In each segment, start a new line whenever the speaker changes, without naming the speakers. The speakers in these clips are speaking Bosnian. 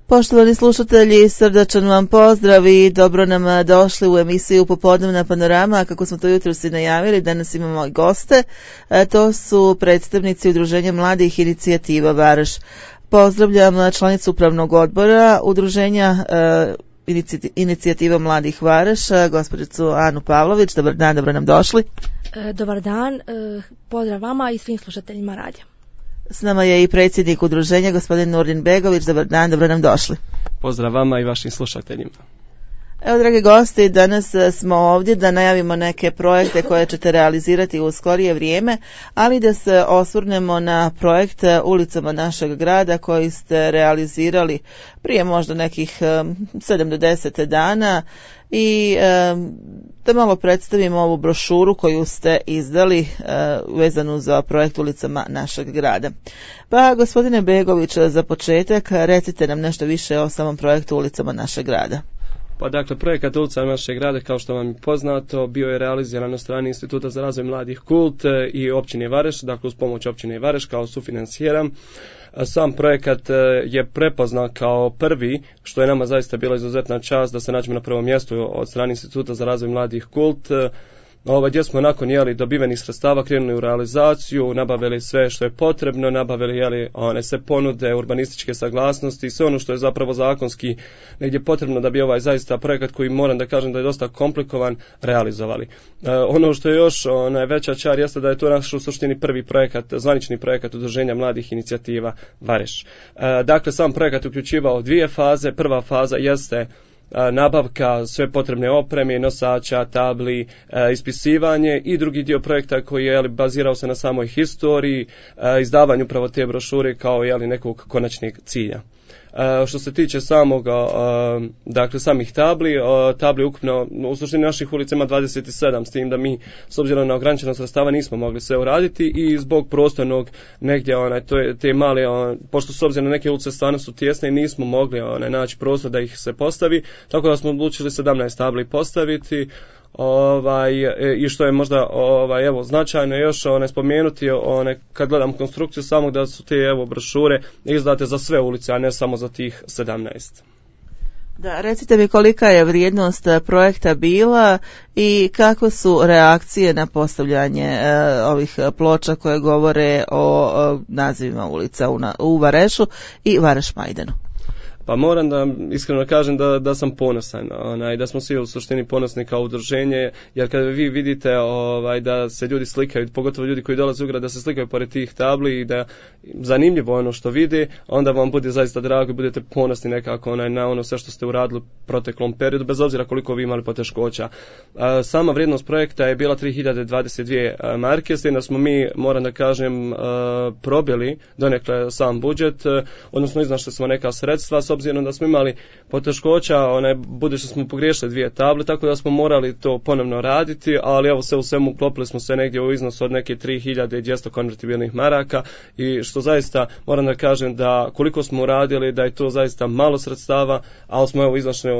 Poštovani slušatelji, srdačan vam pozdrav i dobro nam došli u emisiju Popodnevna panorama. Kako smo to jutros i najavili, danas imamo i goste. To su predstavnici Udruženja mladih inicijativa Vareš. Pozdravljam članicu upravnog odbora Udruženja inicijativa mladih Vareš, gospođicu Anu Pavlović. Dobar dan, dobro nam došli.
Dobar dan, pozdrav vama i svim slušateljima radija.
S nama je i predsjednik udruženja, gospodin Nurdin Begović. Dobar dan, dobro nam došli.
Pozdrav vama i vašim slušateljima.
Evo, dragi gosti, danas smo ovdje da najavimo neke projekte koje ćete realizirati u skorije vrijeme, ali da se osvrnemo na projekt Ulicama našeg grada koji ste realizirali prije možda nekih 7 do 10 dana i da malo predstavimo ovu brošuru koju ste izdali vezanu za projekt Ulicama našeg grada. Pa, gospodine Begović, za početak recite nam nešto više o samom projektu Ulicama našeg grada.
Pa dakle, projekat Ulicama našeg grada, kao što vam je poznato, bio je realiziran na strani Instituta za razvoj mladih Kult i općine Vareš, dakle uz pomoć općine Vareš kao sufinancijera. Sam projekat je prepoznat kao prvi, što je nama zaista bila izuzetna čast da se nađemo na prvom mjestu od strane Instituta za razvoj mladih Kult, gdje smo nakon dobivenih sredstava krenuli u realizaciju, nabavili sve što je potrebno, nabavili one sve ponude, urbanističke saglasnosti, sve ono što je zapravo zakonski negdje potrebno da bi ovaj zaista projekat, koji moram da kažem da je dosta komplikovan, realizovali. Ono što je još veća čar jeste da je to naš u suštini prvi projekat, zvanični projekat Udruženja mladih inicijativa Vareš. Dakle, sam projekat uključivao dvije faze. Prva faza jeste nabavka sve potrebne opreme, nosača, tabli, ispisivanje, i drugi dio projekta koji je bazirao se na samoj historiji, izdavanju upravo te brošure kao nekog konačnog cilja. Što se tiče samih tabli ukupno u suštini naših ulica ima 27, s tim da mi s obzirom na ograničenost sredstava nismo mogli sve uraditi i zbog prostornog negdje te male, pošto s obzirom na neke ulice stvarno su tjesne i nismo mogli naći prostor da ih se postavi, tako da smo odlučili 17 tabli postaviti. I što je možda značajno još spomenuti, kad gledam konstrukciju samog, da su te brošure izdate za sve ulice, a ne samo za tih 17.
Da, recite mi kolika je vrijednost projekta bila i kako su reakcije na postavljanje ovih ploča koje govore o nazivima ulica u Varešu i Vareš Majdanu.
Pa moram da iskreno kažem da sam ponosan, da smo svi u suštini ponosni kao udruženje, jer kada vi vidite da se ljudi slikaju, pogotovo ljudi koji dolaze u grad, da se slikaju pored tih tabli i da zanimljivo ono što vide, onda vam bude zaista drago i budete ponosni nekako na ono sve što ste uradili u proteklom periodu, bez obzira koliko vi imali poteškoća. Sama vrijednost projekta je bila 3022 marke, s tim da smo mi, moram da kažem, probili donekle sam budžet, odnosno iznašli smo neka sredstva, s obzirom da smo imali poteškoća, budući smo pogriješili 2 table, tako da smo morali to ponovno raditi, ali sve u svemu uklopili smo se negdje u iznosu od neke 3200 konvertibilnih maraka, i što zaista moram da kažem da koliko smo uradili, da je to zaista malo sredstava, ali smo iznašli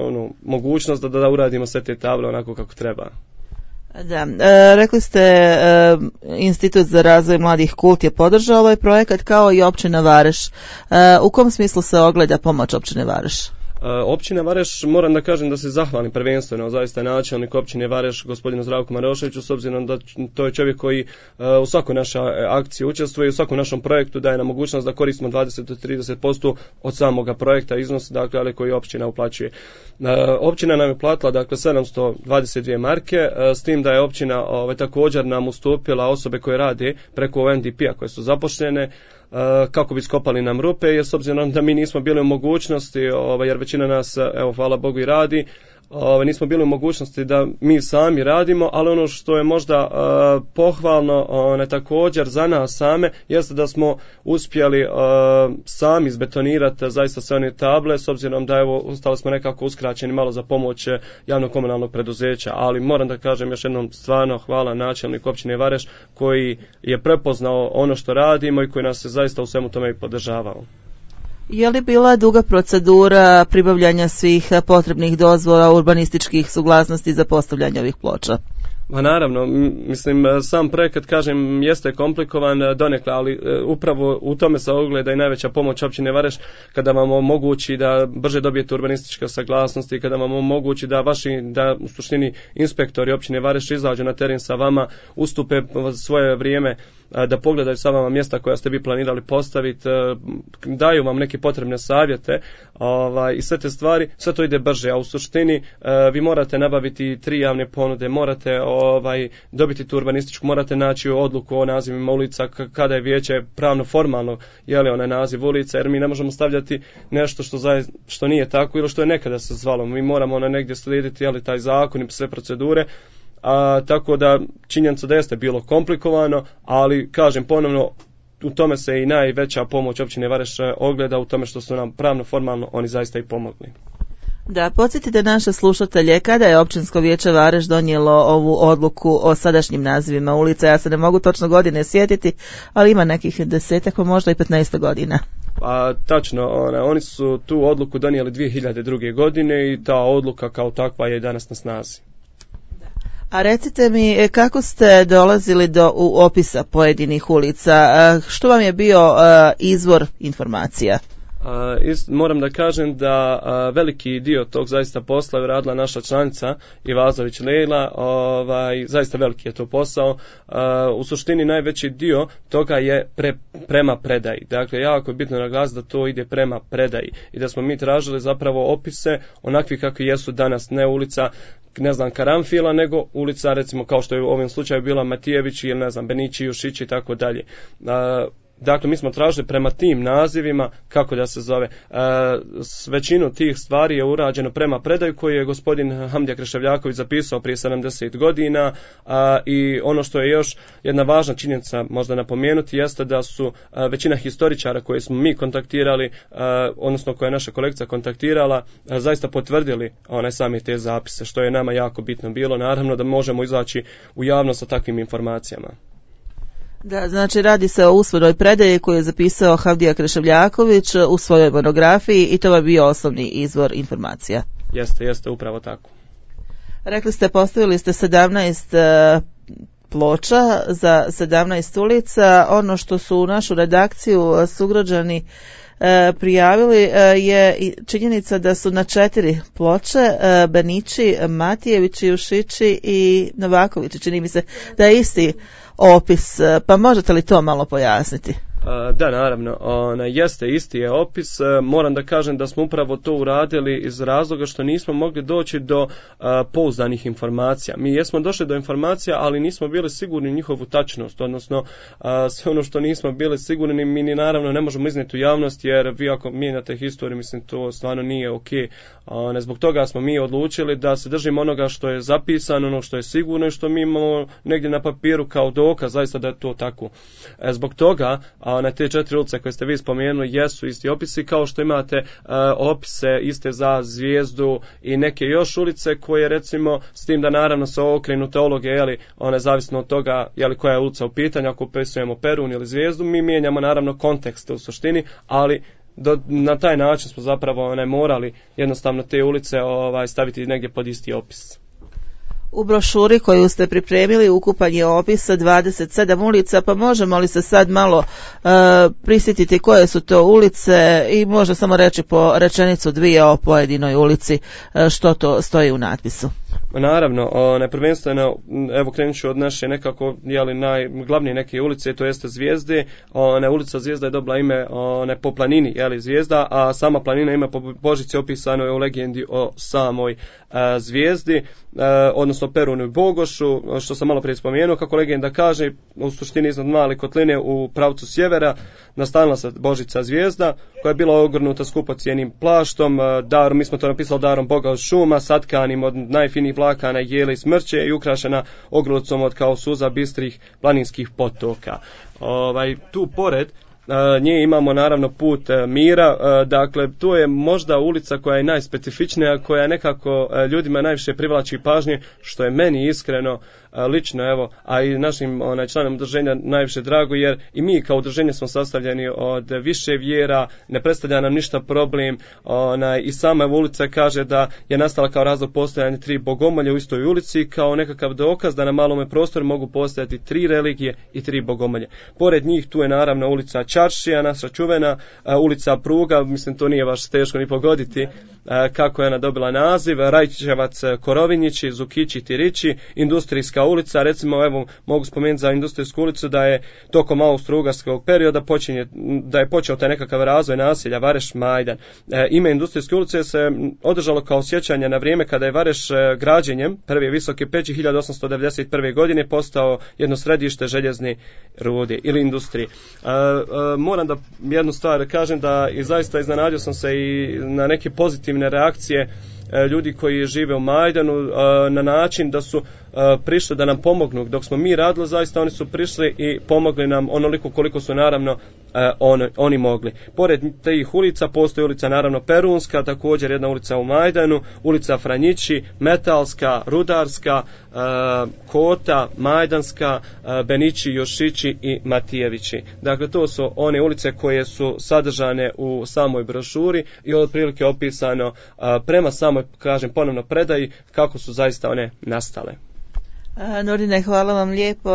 mogućnost da uradimo sve te table onako kako treba.
Da, rekli ste Institut za razvoj mladih Kult je podržao ovaj projekat kao i općina Vareš. U kom smislu se ogleda pomoć općine Vareš?
Općina Vareš, moram da kažem da se zahvalim prvenstveno zaista načelnik općine Vareš, gospodinu Zdravku Maroševiću, s obzirom da to je čovjek koji u svakoj našoj akciji učestvuje i u svakom našom projektu daje nam mogućnost da koristimo 20 do 30% od samoga projekta iznos, dakle, ali koji općina uplaćuje. Općina nam je platila 722 marke, s tim da je općina također nam ustupila osobe koje rade preko NDP-a koje su zaposlene, kako bi skopali nam rupe, jer s obzirom da mi nismo bili u mogućnosti, jer većina nas, hvala Bogu, i radi, nismo bili u mogućnosti da mi sami radimo, ali ono što je možda pohvalno također za nas same jeste da smo uspjeli sami izbetonirati zaista sve one table, s obzirom da ostali smo nekako uskraćeni malo za pomoć javnog komunalnog preduzeća, ali moram da kažem još jednom stvarno hvala načelniku općine Vareš koji je prepoznao ono što radimo i koji nas je zaista u svemu tome i podržavao.
Je li bila duga procedura pribavljanja svih potrebnih dozvola, urbanističkih suglasnosti za postavljanje ovih ploča?
Ma naravno, mislim, sam projekat, kažem, jeste komplikovan donekle, ali upravo u tome se ogleda i najveća pomoć općine Vareš, kada vam omogući da brže dobijete urbanističke saglasnosti, kada vam omogući da u suštini inspektori općine Vareš izađu na teren sa vama, ustupe svoje vrijeme da pogledaju sa vama mjesta koja ste vi planirali postaviti, daju vam neke potrebne savjete i sve te stvari, sve to ide brže, a u suštini vi morate nabaviti 3 javne ponude, morate dobiti tu urbanističku, morate naći odluku o nazivima ulica, kada je vijeće pravno formalno onaj naziv ulica, jer mi ne možemo stavljati nešto što nije tako ili što je nekada se zvalo. Mi moramo negdje slijediti taj zakon i sve procedure. Tako da činjenica da jeste bilo komplikovano, ali kažem ponovno, u tome se i najveća pomoć općine Vareš ogleda, u tome što su nam pravno formalno oni zaista i pomogli.
Da, podsjetite naše slušatelje, kada je općinsko vijeće Vareš donijelo ovu odluku o sadašnjim nazivima ulica? Ja se ne mogu točno godine sjetiti, ali ima nekih 10, pa možda i 15 godina.
Tačno, oni su tu odluku donijeli 2002. godine i ta odluka kao takva je danas na snazi.
A recite mi, kako ste dolazili do opisa pojedinih ulica? Što vam je bio izvor informacija?
Moram da kažem da veliki dio tog zaista posla je radila naša članica Ivazović Lejla, zaista veliki je to posao. U suštini najveći dio toga je prema predaji. Dakle, jako je bitno naglasiti da to ide prema predaji i da smo mi tražili zapravo opise onakvi kakvi jesu danas, ne ulica Karanfila, nego ulica recimo kao što je u ovom slučaju bila Matijević ili Benići, Jušić i tako dalje. Dakle, mi smo tražili prema tim nazivima kako da se zove. Većinu tih stvari je urađeno prema predaju koju je gospodin Hamdija Kreševljaković zapisao prije 70 godina i ono što je još jedna važna činjenica možda napomenuti jeste da su većina historičara koje smo mi kontaktirali, odnosno koje je naša kolegica kontaktirala, zaista potvrdili sami te zapise, što je nama jako bitno bilo. Naravno da možemo izaći u javnost sa takvim informacijama.
Da, znači radi se o usvojenoj predaji koju je zapisao Hamdija Kreševljaković u svojoj monografiji i to je bio osnovni izvor informacija.
Jeste, upravo tako.
Rekli ste, postavili ste 17 ploča za 17 ulica. Ono što su u našu redakciju sugrađani prijavili je činjenica da su na 4 ploče Benići, Matijevići, Jušići i Novakovići. Čini mi se da je isti opis, pa možete li to malo pojasniti?
Da, naravno, jeste, isti je opis. Moram da kažem da smo upravo to uradili iz razloga što nismo mogli doći do pouzdanih informacija. Mi jesmo došli do informacija, ali nismo bili sigurni njihovu tačnost, odnosno sve ono što nismo bili sigurni mi ni naravno ne možemo iznijeti u javnost, jer vi ako mijenjate historiju, mislim to stvarno nije ok. Zbog toga smo mi odlučili da se držimo onoga što je zapisano, ono što je sigurno i što mi imamo negdje na papiru kao dokaz, zaista da je to tako. Zbog toga na te 4 ulice koje ste vi spomenuli jesu isti opisi, kao što imate opise iste za Zvijezdu i neke još ulice koje recimo, s tim da naravno se okrenu teologe, zavisno od toga koja je ulica u pitanju, ako upisujemo Perun ili Zvijezdu, mi mijenjamo naravno kontekst u suštini, ali na taj način smo zapravo morali jednostavno te ulice staviti negdje pod isti opis.
U brošuri koju ste pripremili ukupan je opis 27 ulica, pa možemo li se sad malo prisjetiti koje su to ulice i možda samo reći po rečenicu 2 o pojedinoj ulici što to stoji u natpisu?
Naravno, prvenstveno, evo krenut ću od naše nekako najglavnije neke ulice, to jeste Zvijezde. Ulica Zvijezda je dobila ime po planini, Zvijezda, a sama planina ima po Božici opisano je u legendi o samoj Zvijezdi, odnosno Perunu i Bogošu, što sam malo prije spomenuo. Kako legenda kaže, u suštini iznad Male Kotline u pravcu sjevera nastanila se Božica Zvijezda, koja je bila ogrnuta skupocijenim plaštom, mi smo to napisali darom Boga od šuma, satkanim od najfinijih vlakana jele i smrće i ukrašena ogrlicom od kao suza bistrih planinskih potoka. Tu pored nje imamo naravno put mira, dakle to je možda ulica koja je najspecifičnija, koja nekako ljudima najviše privlači pažnje, što je meni iskreno lično, evo, a i našim članom udruženja najviše drago, jer i mi kao udruženje smo sastavljeni od više vjera, ne predstavlja nam ništa problem, i sama ulica kaže da je nastala kao razlog postojanja 3 bogomolja u istoj ulici, kao nekakav dokaz da na malome prostoru mogu postojati 3 religije i 3 bogomolje. Pored njih tu je naravno ulica Čaršija, naša čuvena, ulica Pruga, mislim to nije baš teško ni pogoditi kako je ona dobila naziv, Rajčevac, Korovinjići, Zukići, Tirići, industrijska ulica, recimo evo mogu spomenuti za industrijsku ulicu da je tokom austro-ugarskog perioda da je počeo taj nekakav razvoj naselja Vareš Majdan. Ime industrijske ulice se održalo kao sjećanje na vrijeme kada je Vareš građenjem prve visoke peći 1891. godine postao jedno središte željezne rude ili industrije. Moram da jednu stvar kažem da i zaista iznenadio sam se i na neke pozitivne reakcije ljudi koji žive u Majdanu na način da su prišli da nam pomognu. Dok smo mi radili, zaista oni su prišli i pomogli nam onoliko koliko su naravno oni mogli. Pored tih ulica postoji ulica naravno Perunska, također jedna ulica u Majdanu, ulica Franjići, Metalska, Rudarska, Kota, Majdanska, Benići, Jošići i Matijevići. Dakle, to su one ulice koje su sadržane u samoj brošuri i otprilike opisano prema samoj, kažem ponovno, predaji kako su zaista one nastale.
Nordine, hvala vam lijepo.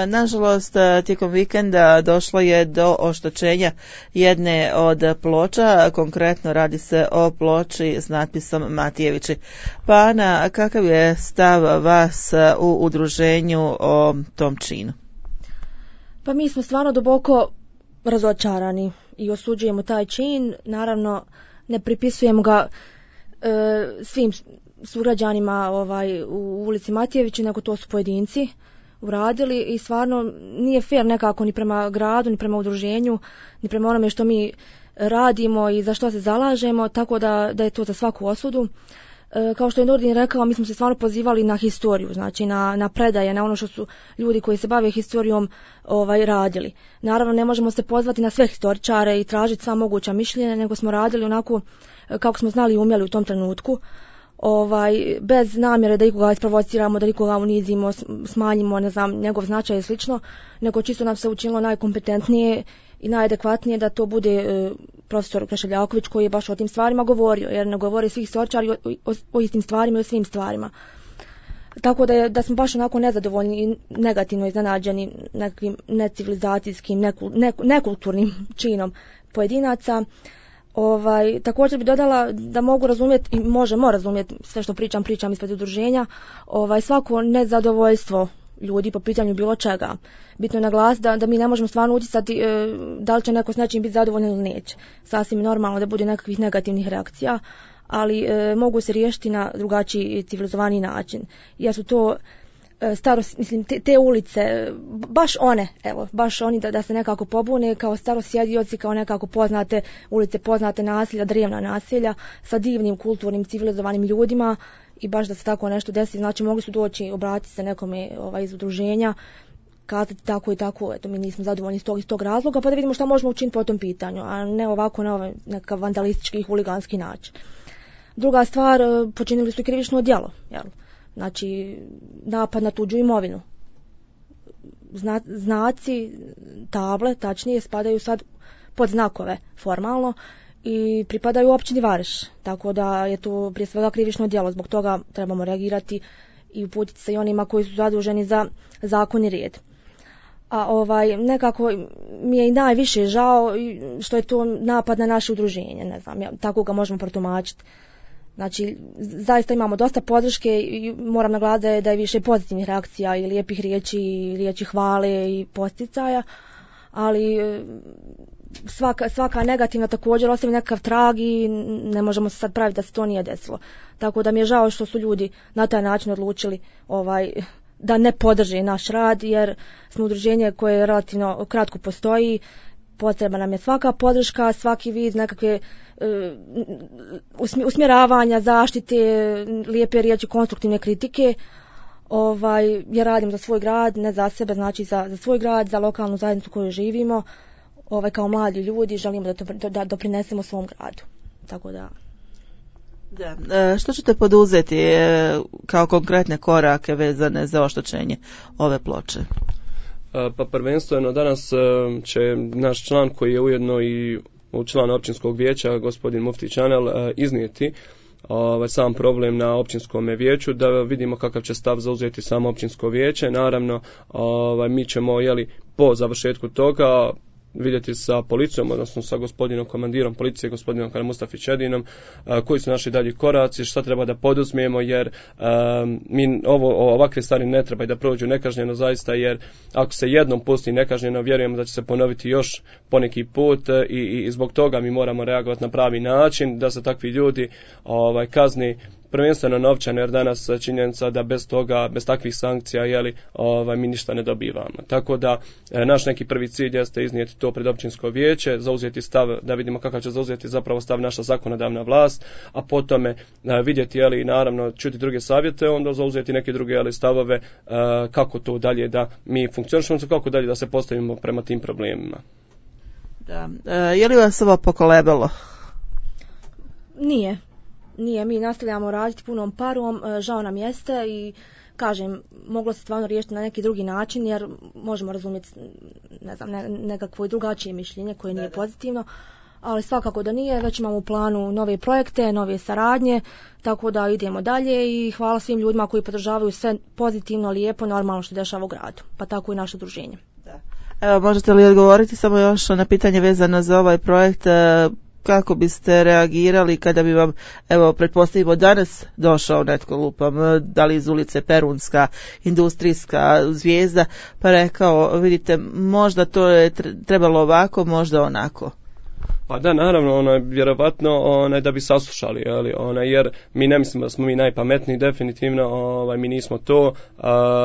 Nažalost, tijekom vikenda došlo je do oštećenja jedne od ploča, konkretno radi se o ploči s natpisom Matijevići. Pa Ana, kakav je stav vas u udruženju o tom činu?
Pa mi smo stvarno duboko razočarani i osuđujemo taj čin, naravno ne pripisujemo ga svim sugrađanima u ulici Matijevići, nego to su pojedinci uradili i stvarno nije fair nekako ni prema gradu, ni prema udruženju, ni prema onome što mi radimo i za što se zalažemo, tako da je to za svaku osudu. Kao što je Nordin rekao, mi smo se stvarno pozivali na historiju, znači na predaje, na ono što su ljudi koji se bave historijom radili. Naravno, ne možemo se pozvati na sve historičare i tražiti sva moguća mišljenja, nego smo radili onako kako smo znali i umjeli u tom trenutku. Bez namjere da ikoga isprovociramo, da ikoga unizimo, smanjimo, ne znam, njegov značaj i slično, nego čisto nam se učinilo najkompetentnije i najadekvatnije da to bude profesor Krešeljaković koji je baš o tim stvarima govorio, jer ne govori svi historičari o istim stvarima i o svim stvarima. Tako da smo baš onako nezadovoljni i negativno iznenađeni nekim necivilizacijskim, nekulturnim činom pojedinaca. Također bi dodala da mogu razumjeti i možemo razumjeti sve što pričam ispred udruženja, svako nezadovoljstvo ljudi po pitanju bilo čega. Bitno je naglasiti da mi ne možemo stvarno utjecati da li će neko s nečim biti zadovoljan ili neće. Sasvim normalno da bude nekakvih negativnih reakcija, ali mogu se riješiti na drugačiji civilizovani način. Jer su to te ulice, baš oni da se nekako pobune kao starosjedioci, kao nekako poznate ulice, poznate naselja, drevna naselja sa divnim, kulturnim, civilizovanim ljudima i baš da se tako nešto desi, znači mogli su doći, obratiti se nekome iz udruženja, kazati tako i tako, eto mi nismo zadovoljni iz tog razloga, pa da vidimo šta možemo učiniti po tom pitanju, a ne ovako na nekav vandalistički i huliganski način. Druga stvar, počinili su i krivično djelo, jel? Znači, napad na tuđu imovinu. Znaci, table, tačnije, spadaju sad pod znakove formalno i pripadaju općini Vareš. Tako da je to prije svega krivično djelo. Zbog toga trebamo reagirati i uputiti se i onima koji su zaduženi za zakon i red. A nekako mi je i najviše žao što je to napad na naše udruženje. Ne znam, tako ga možemo protumačiti. Znači, zaista imamo dosta podrške i moram naglasiti da je više pozitivnih reakcija i lijepih riječi, i riječi hvale i posticaja, ali svaka negativna također ostavi nekakav trag i ne možemo se sad praviti da se to nije desilo. Tako da mi je žao što su ljudi na taj način odlučili da ne podrže naš rad, jer smo udruženje koje relativno kratko postoji, potreba nam je svaka podrška, svaki vid nekakve usmjeravanja, zaštite, lijepe riječi, konstruktivne kritike. Ja radim za svoj grad, ne za sebe, znači za svoj grad, za lokalnu zajednicu koju živimo. Kao mladi ljudi želimo da doprinesemo svom gradu. Tako da
Da. Što ćete poduzeti kao konkretne korake vezane za oštećenje ove ploče?
Pa prvenstveno danas će naš član koji je ujedno i član općinskog vijeća, gospodin Mufti Čanel, iznijeti sam problem na općinskom vijeću, da vidimo kakav će stav zauzeti samo općinsko vijeće. Naravno, mi ćemo po završetku toga vidjeti sa policijom, odnosno sa gospodinom komandirom policije, gospodinom Mustafić Edinom, koji su naši dalji koraci, šta treba da poduzmemo, jer mi ovakve stvari ne treba da prođu nekažnjeno zaista, jer ako se jednom pusti nekažnjeno, vjerujemo da će se ponoviti još poneki put i zbog toga mi moramo reagovati na pravi način, da se takvi ljudi kazni prvenstveno novčano, jer danas činjenica da bez toga, bez takvih sankcija, mi ništa ne dobivamo. Tako da naš neki prvi cilj jeste iznijeti to pred općinsko vijeće, zauzeti stav, da vidimo kakav će zauzeti zapravo stav naša zakonodavna vlast, a potom vidjeti, naravno, čuti druge savjete, onda zauzeti neke druge stavove kako to dalje da mi funkcionišemo, kako dalje da se postavimo prema tim problemima.
Da. Je li vas ovo pokolebalo?
Nije, mi nastavljamo raditi punom parom, žao nam jeste i kažem, moglo se stvarno riješiti na neki drugi način, jer možemo razumjeti, nekakvo i drugačije mišljenje koje nije pozitivno, ali svakako da nije, već imamo u planu nove projekte, nove saradnje, tako da idemo dalje i hvala svim ljudima koji podržavaju sve pozitivno, lijepo, normalno što dešava u gradu, pa tako i naše udruženje.
Da. Evo, možete li odgovoriti samo još na pitanje vezano za ovaj projekt? Kako biste reagirali kada bi vam, evo, pretpostavimo danas došao netko, lupam, da li iz ulice Perunska, Industrijska, Zvijezda, pa rekao, vidite, možda to je trebalo ovako, možda onako?
Pa da, naravno, vjerovatno da bi saslušali, jer mi ne mislimo da smo mi najpametniji, definitivno, mi nismo to,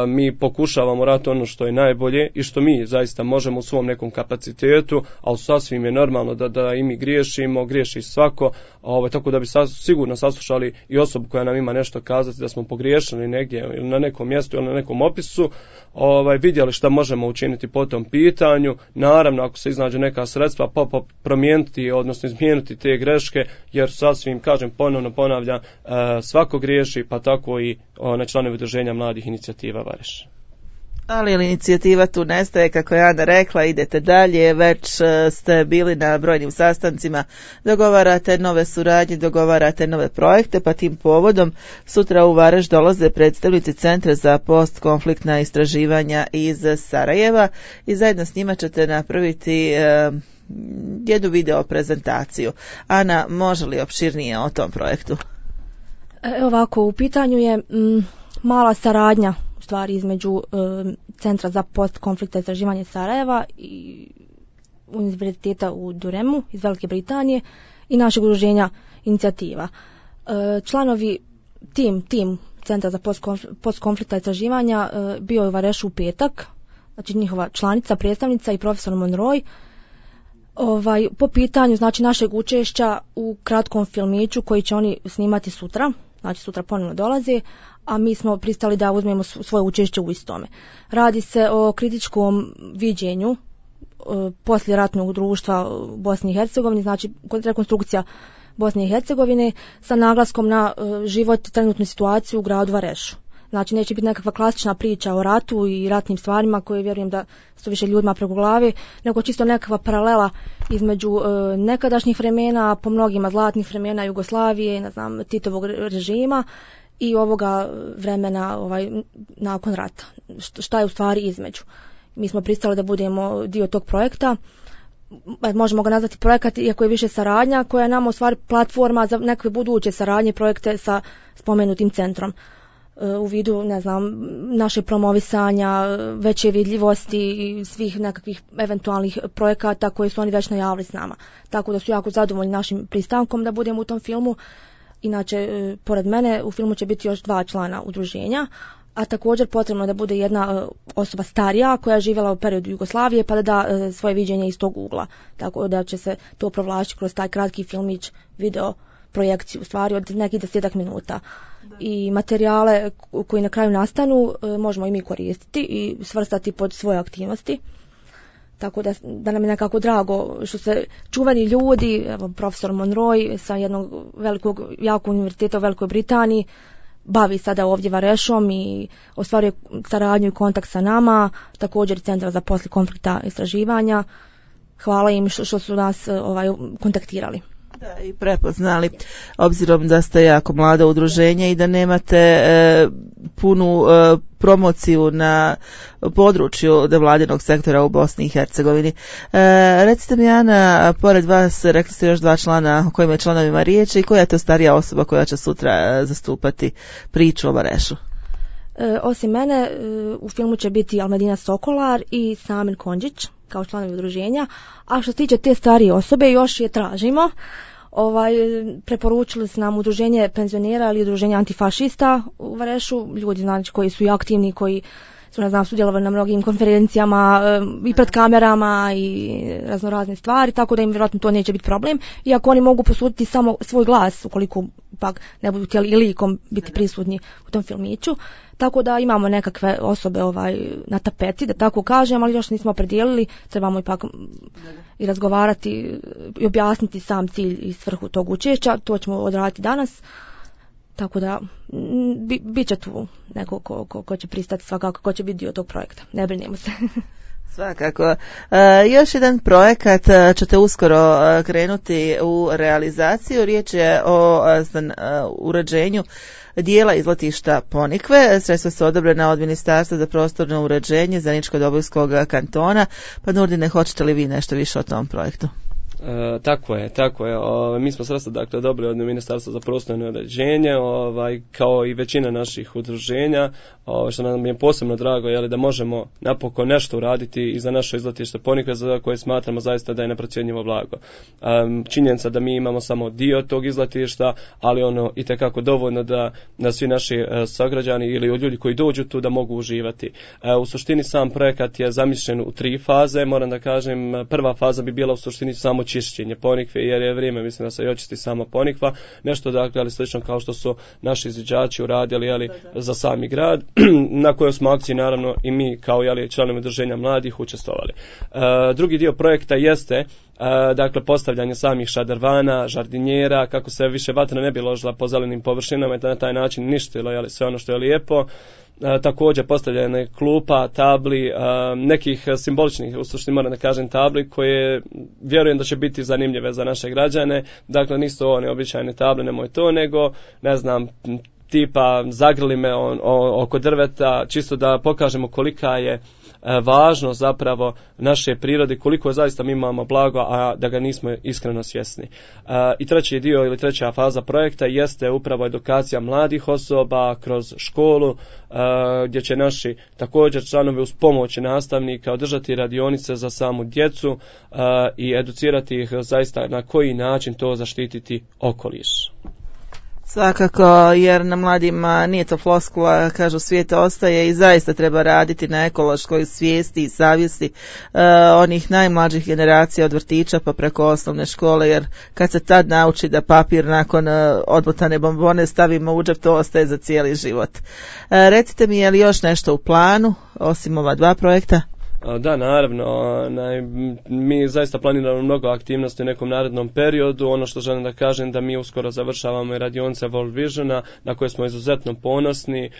mi pokušavamo raditi ono što je najbolje i što mi zaista možemo u svom nekom kapacitetu, ali sasvim je normalno da i mi griješi svako, tako da bi sigurno saslušali i osobu koja nam ima nešto kazati, da smo pogriješili negdje ili na nekom mjestu ili na nekom opisu, vidjeli šta možemo učiniti po tom pitanju, naravno ako se iznađu neka sredstva, promijeniti, odnosno izmijeniti te greške, jer sasvim, kažem, ponovno ponavljam, svako griješi, pa tako i članovi udruženja mladih inicijativa Vareš.
Ali inicijativa tu nestaje, kako je Ana rekla, idete dalje, već ste bili na brojnim sastancima, dogovarate nove suradnje, dogovarate nove projekte, pa tim povodom sutra u Vareš dolaze predstavnici Centra za postkonfliktna istraživanja iz Sarajeva i zajedno s njima ćete napraviti jednu video prezentaciju. Ana, može li opširnije o tom projektu?
Ovako, u pitanju je mala saradnja u stvari između Centra za postkonfliktna istraživanja Sarajeva i Univerziteta u Duremu iz Velike Britanije i našeg udruženja inicijativa. Članovi tim Centra za postkonfliktna istraživanja bio je u Varešu u petak, znači njihova članica, predstavnica i profesor Monroy, po pitanju znači našeg učešća u kratkom filmiću koji će oni snimati sutra, znači sutra ponovno dolaze, a mi smo pristali da uzmemo svoje učešće u istome. Radi se o kritičkom viđenju poslijeratnog društva u Bosni i Hercegovini, znači rekonstrukcija Bosne i Hercegovine sa naglaskom na život, trenutnu situaciju u gradu Varešu. Znači neće biti nekakva klasična priča o ratu i ratnim stvarima koje vjerujem da su više ljudima preko glave, nego čisto nekakva paralela između nekadašnjih vremena, po mnogima zlatnih vremena Jugoslavije, Titovog režima i ovoga vremena nakon rata. Šta je u stvari između? Mi smo pristali da budemo dio tog projekta. Možemo ga nazvati projekat, iako je više saradnja, koja je nama u stvari platforma za nekakve buduće saradnje projekte sa spomenutim centrom. U vidu, naše promovisanja, veće vidljivosti i svih nekakvih eventualnih projekata koje su oni već najavili s nama. Tako da su jako zadovoljni našim pristankom da budemo u tom filmu. Inače, pored mene u filmu će biti još 2 člana udruženja, a također potrebno da bude jedna osoba starija koja je živjela u periodu Jugoslavije pa da da svoje viđenje iz tog ugla. Tako da će se to provlačiti kroz taj kratki filmić, video projekciju, u stvari od nekih 10 minuta. I materijale koji na kraju nastanu možemo i mi koristiti i svrstati pod svoje aktivnosti. Tako da nam je nekako drago što se čuveni ljudi, evo, profesor Monroy sa jednog velikog, jakog univerziteta u Velikoj Britaniji, bavi sada ovdje Varešom i ostvaruje saradnju i kontakt sa nama, također Centar za poslije konflikta istraživanja. Hvala im što su nas kontaktirali.
Da, i prepoznali, obzirom da ste jako mlado udruženje i da nemate punu promociju na području nevladinog sektora u Bosni i Hercegovini. Recite mi, Ana, pored vas rekli ste još 2 člana o kojima je članovima riječ i koja je to starija osoba koja će sutra zastupati priču o Varešu?
Osim mene, u filmu će biti Almedina Sokolar i Samin Konđić kao članovi udruženja, a što se tiče te starije osobe još je tražimo. Preporučili su nam udruženje penzionera ili udruženje antifašista u Varešu, ljudi znači koji su i aktivni, koji su, ne znam, sudjelovali na mnogim konferencijama i pred kamerama i raznorazne stvari, tako da im vjerojatno to neće biti problem, iako oni mogu posuditi samo svoj glas ukoliko pak ne budu htjeli i likom biti prisutni u tom filmiću. Tako da imamo nekakve osobe na tapeti, da tako kažem, ali još nismo opredijelili, trebamo ipak i razgovarati i objasniti sam cilj i svrhu tog učešća, to ćemo odraditi danas. Tako da bit će tu neko ko će pristati svakako, ko će biti dio tog projekta. Ne brinemo se.
Svakako. Još jedan projekat ćete uskoro krenuti u realizaciju. Riječ je o uređenju dijela izletišta Ponikve. Sredstva su odobrena od Ministarstva za prostorno uređenje Zeničko-Dobojskog kantona. Pa Nurdine, hoćete li vi nešto više o tom projektu?
Tako je. Mi smo sredstva dakle dobili od Ministarstva za prostorno uređenje, kao i većina naših udruženja, što nam je posebno drago, da možemo napokon nešto uraditi i za naše izletište Ponikve, za koje smatramo zaista da je neprocjenjivo blago. Činjenica da mi imamo samo dio tog izletišta, ali ono itekako dovoljno da svi naši sagrađani ili ljudi koji dođu tu da mogu uživati. U suštini sam projekat je zamišljen u 3 faze, moram da kažem, prva faza bi bila u suštini samo čišćenje Ponikve, jer je vrijeme, mislim, da se i očisti sama Ponikva, nešto dakle, ali slično kao što su naši izviđači uradili, za sami grad, na kojoj smo akciji naravno i mi kao članovi udruženja mladih učestvovali. Drugi dio projekta jeste dakle postavljanje samih šadrvana, žardinjera, kako se više vatra ne bi ložila po zelenim površinama i na taj način ništilo sve ono što je lijepo. Također postavljanje klupa, tabli, nekih simboličnih, u suštini moram da kažem, tabli koje vjerujem da će biti zanimljive za naše građane. Dakle, nisu one običajne table, nemoj to, nego, ne znam, tipa zagrli me oko drveta, čisto da pokažemo kolika je važnost zapravo naše prirode, koliko zaista mi imamo blago, a da ga nismo iskreno svjesni. I treći dio ili treća faza projekta jeste upravo edukacija mladih osoba kroz školu, gdje će naši također članovi uz pomoć nastavnika održati radionice za samu djecu i educirati ih zaista na koji način to zaštititi okoliš.
Svakako, jer na mladima nije to floskula, kažu svijet ostaje i zaista treba raditi na ekološkoj svijesti i savjesti onih najmlađih generacija od vrtića pa preko osnovne škole, jer kad se tad nauči da papir nakon odmotane bombone stavimo u džep, to ostaje za cijeli život. Recite mi, je li još nešto u planu, osim ova 2 projekta?
Da, naravno, mi zaista planiramo mnogo aktivnosti u nekom narednom periodu. Ono što želim da kažem da mi uskoro završavamo i radionice World Visiona na koje smo izuzetno ponosni,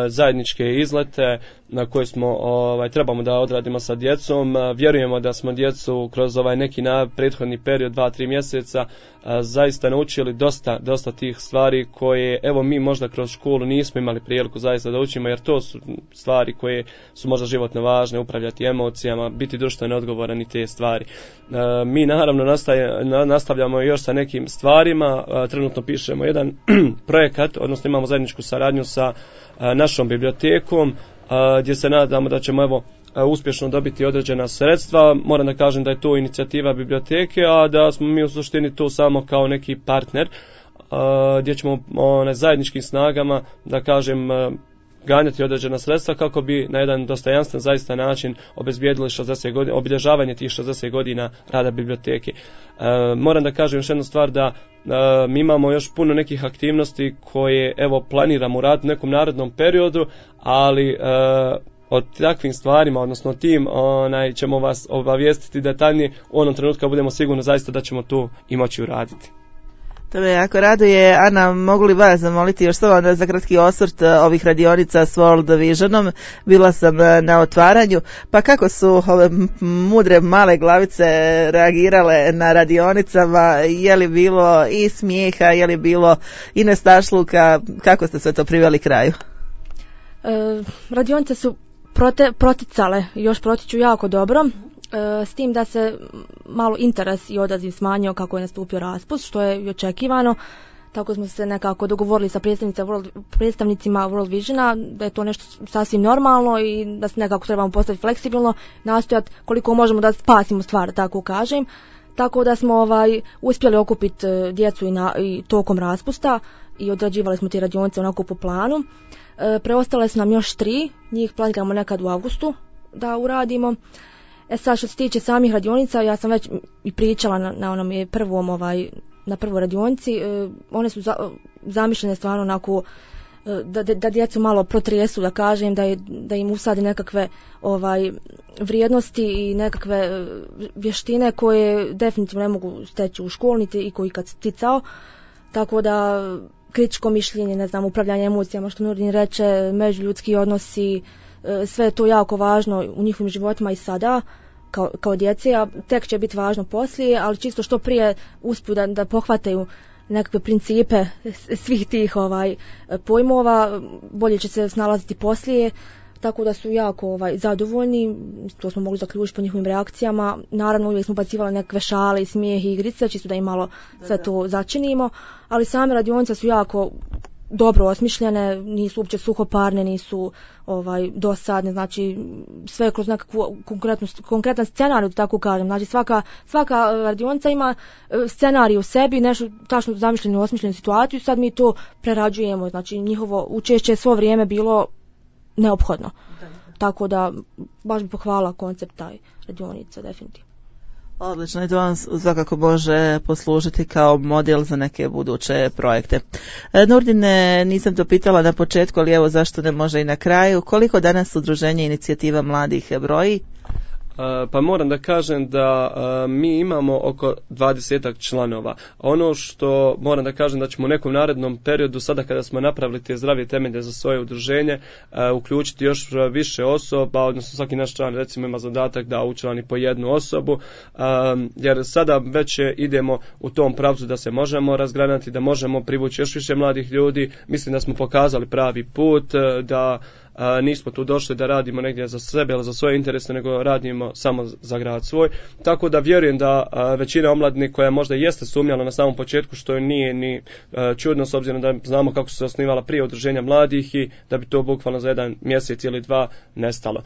zajedničke izlete na koje smo trebamo da odradimo sa djecom. Vjerujemo da smo djecu kroz neki prethodni period 2-3 mjeseca zaista naučili dosta tih stvari koje evo mi možda kroz školu nismo imali priliku zaista da učimo, jer to su stvari koje su možda životno važne, upravljati emocijama, biti društveno odgovoran i te stvari. Mi naravno nastavljamo još sa nekim stvarima, trenutno pišemo jedan projekat, odnosno imamo zajedničku saradnju sa našom bibliotekom, gdje se nadamo da ćemo uspješno dobiti određena sredstva. Moram da kažem da je to inicijativa biblioteke, a da smo mi u suštini tu samo kao neki partner, gdje ćemo zajedničkim snagama, da kažem, ganjati određena sredstva kako bi na jedan dostojanstven zaista način obezbijedili obilježavanje tih 60 godina rada biblioteke. Moram da kažem još jednu stvar, da mi imamo još puno nekih aktivnosti koje planiramo uraditi u nekom narednom periodu, ali o takvim stvarima, odnosno tim ćemo vas obavijestiti detaljnije u onom trenutku kad budemo sigurni zaista da ćemo to i moći uraditi.
To me jako raduje. Ana, mogu li vas zamoliti još samo za kratki osvrt ovih radionica s World Visionom? Bila sam na otvaranju, pa kako su ove mudre male glavice reagirale na radionicama? Je li bilo i smijeha, je li bilo i nestašluka? Kako ste sve to priveli kraju?
Radionice su proticale i još protiču jako dobro. S tim da se malo interes i odaziv smanjio kako je nastupio raspust, što je i očekivano. Tako smo se nekako dogovorili sa predstavnicima World Visiona da je to nešto sasvim normalno i da se nekako trebamo postaviti fleksibilno, nastojati koliko možemo da spasimo stvar, tako kažem. Tako da smo uspjeli okupiti djecu i tokom raspusta i odrađivali smo te radionice onako po planu. Preostale su nam još 3, njih planiramo nekad u avgustu da uradimo. Sad što se tiče samih radionica, ja sam već i pričala na onom na prvoj radionici, one su zamišljene stvarno onako da djecu malo protresu, da kažem, da im usadi nekakve vrijednosti i nekakve vještine koje definitivno ne mogu steći u školnici i koji kad sticao, tako da kritičko mišljenje, ne znam, upravljanje emocijama, što Nurdin reče, međuljudski odnosi, sve je to jako važno u njihovim životima i sada kao djece, a tek će biti važno poslije, ali čisto što prije uspiju da pohvataju nekakve principe svih tih pojmova, bolje će se snalaziti poslije, tako da su jako zadovoljni, to smo mogli zaključiti po njihovim reakcijama. Naravno uvijek smo bacivali nekakve šale i smijeh i igrice, čisto da im malo sve to začinimo, ali same radionice su jako dobro osmišljene, nisu uopće suhoparne, nisu dosadne, znači sve kroz nekakvu konkretan scenarij, tako kažem. Znači svaka radionica ima scenarij u sebi, nešto tačno zamišljenu, osmišljenu situaciju, sad mi to prerađujemo, znači njihovo učešće je svo vrijeme bilo neophodno. Tako da baš bi pohvala koncept taj radionica, definitivno.
Odlično, i to vam svakako može poslužiti kao model za neke buduće projekte. Nurdine, nisam to pitala na početku, ali evo zašto ne može i na kraju. Koliko danas udruženje Inicijativa mladih broji?
Pa moram da kažem da mi imamo oko 20 članova. Ono što moram da kažem da ćemo u nekom narednom periodu, sada kada smo napravili te zdrave temelje za svoje udruženje, uključiti još više osoba, odnosno svaki naš član recimo ima zadatak da učlani po jednu osobu, jer sada već idemo u tom pravcu da se možemo razgranati, da možemo privući još više mladih ljudi. Mislim da smo pokazali pravi put, da nismo tu došli da radimo negdje za sebe ili za svoje interese, nego radimo samo za grad svoj. Tako da vjerujem da većina omladine koja možda jeste sumnjala na samom početku, što nije ni čudno s obzirom da znamo kako su se osnivala prije udruženja mladih i da bi to bukvalno za 1 mjesec ili 2 nestalo.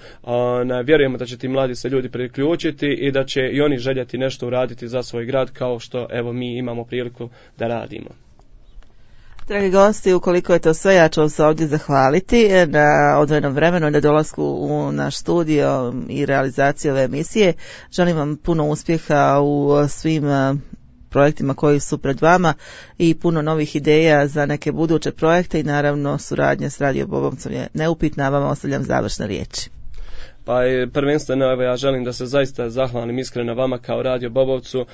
Vjerujemo da će ti mladi se ljudi priključiti i da će i oni željeti nešto uraditi za svoj grad kao što evo mi imamo priliku da radimo.
Dragi gosti, ukoliko je to sve, ja ću vam se ovdje zahvaliti na odvojenom vremenu i na dolasku u naš studio i realizaciju ove emisije. Želim vam puno uspjeha u svim projektima koji su pred vama i puno novih ideja za neke buduće projekte i naravno suradnja s Radio Bobovcom je neupitna, vama ostavljam završne riječi.
Pa prvenstveno evo ja želim da se zaista zahvalim iskreno vama kao Radio Bobovcu,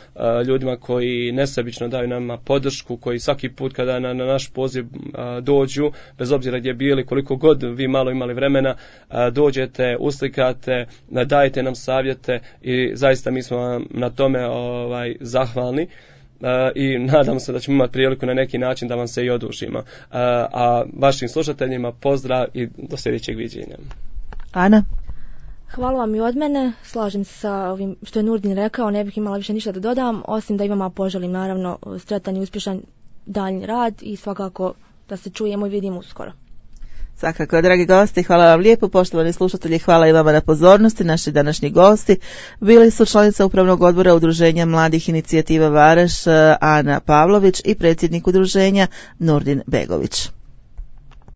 ljudima koji nesebično daju nama podršku, koji svaki put kada na naš poziv dođu, bez obzira gdje bili, koliko god vi malo imali vremena, dođete, uslikate, dajete nam savjete i zaista mi smo vam na tome zahvalni. I nadam se da ćemo imati priliku na neki način da vam se i odužimo. A vašim slušateljima pozdrav i do sljedećeg viđenja.
Ana?
Hvala vam i od mene, slažem se sa ovim što je Nurdin rekao, ne bih imala više ništa da dodam, osim da imamo poželim naravno sretan i uspješan daljnji rad i svakako da se čujemo i vidimo uskoro.
Svakako, dragi gosti, hvala vam lijepo, poštovani slušatelji, hvala i vama na pozornosti. Naši današnji gosti bili su članica Upravnog odbora Udruženja mladih Inicijativa Vareš Ana Pavlović i predsjednik udruženja Nurdin Begović.